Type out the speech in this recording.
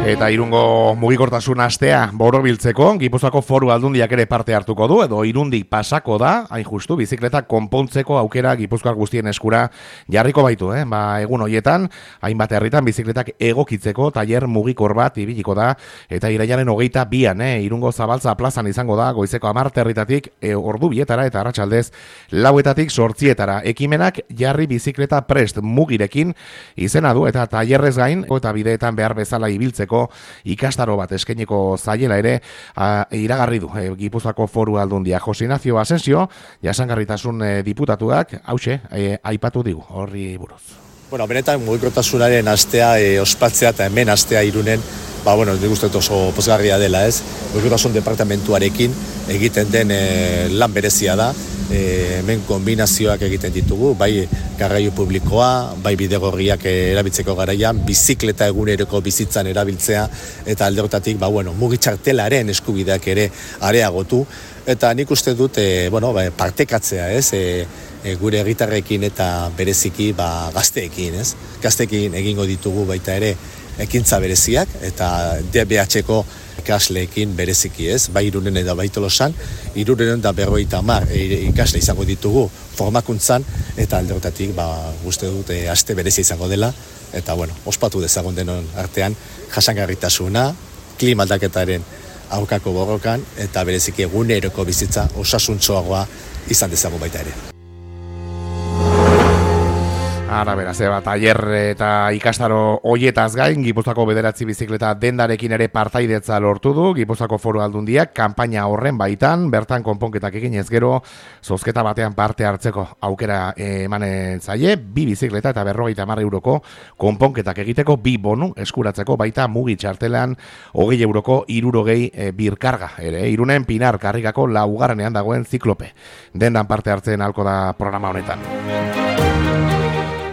Eta Irungo mugikortasun astea borobiltzeko Gipuzkoako Foru Aldundiak ere parte hartuko du, edo Irundik pasako da, hain justu, bizikleta konpontzeko aukera Gipuzkoar guztien eskura jarriko baitu, egun hoietan, hainbat herritan bizikletak egokitzeko tailer mugikor bat ibiliko da, eta irailaren 22an, Irungo Zabaltza plazan izango da, goizeko 10 herritatik ordu bietara eta arratsaldez 4etatik 8etara. Ekimenak jarri bizikleta prest mugirekin izena du, eta tailerrez gain, eta bideetan behar bezala ibiltzeko ikastaro bat eskainiko zaiela ere iragarri du Gipuzkoako Foru Aldundia. Jose Ignacio Asensio, jasangarritasun diputatuak, hauxe, aipatu digu, horri buruz. Bueno, benetan mugikortasunaren astea ospatzea eta hemen astea Irunen, nik uste oso pozgarria dela, ez? Mugikortasun departamentuarekin egiten den lan berezia da. Hemen kombinazioak egiten ditugu, bai garraio publikoa, bai bidegorriak erabiltzeko garaian, bizikleta eguneroko bizitzan erabiltzea, eta alde horretatik, mugitxartelaren eskubideak ere areagotu, eta nik uste dut, partekatzea, ez? Gure herritarrekin eta bereziki gazteekin, ez? Gazteekin egingo ditugu baita ere ekintza bereziak, eta DBH-ko ikasleekin bereziki, ez? Bai Irunen eta bai Tolosan, 350 ikasle izango ditugu formakuntzan, eta alde horretatik uste dut aste berezia izango dela, eta ospatu dezagun denon artean jasangarritasuna, klima aldaketaren aurkako borrokan, eta bereziki eguneroko bizitza osasuntsuagoa izan dezagun baita ere. Ara beraz, tailer eta ikastaro hoietaz gain, Gipuzkoako 9 bizikleta dendarekin ere partaidetza lortu du Gipuzkoako Foru Aldundiak kanpaina horren baitan, bertan konponketak eginez gero, zozketa batean parte hartzeko aukera emanen zaie, 2 bizikleta eta 50 euroko konponketak egiteko 2 bonu eskuratzeko baita mugi txartelan 20 euroko 60 birkarga ere. Irunen Pinar Karrikako 4. dagoen ziklope. Dendan parte hartzen halko da programa honetan.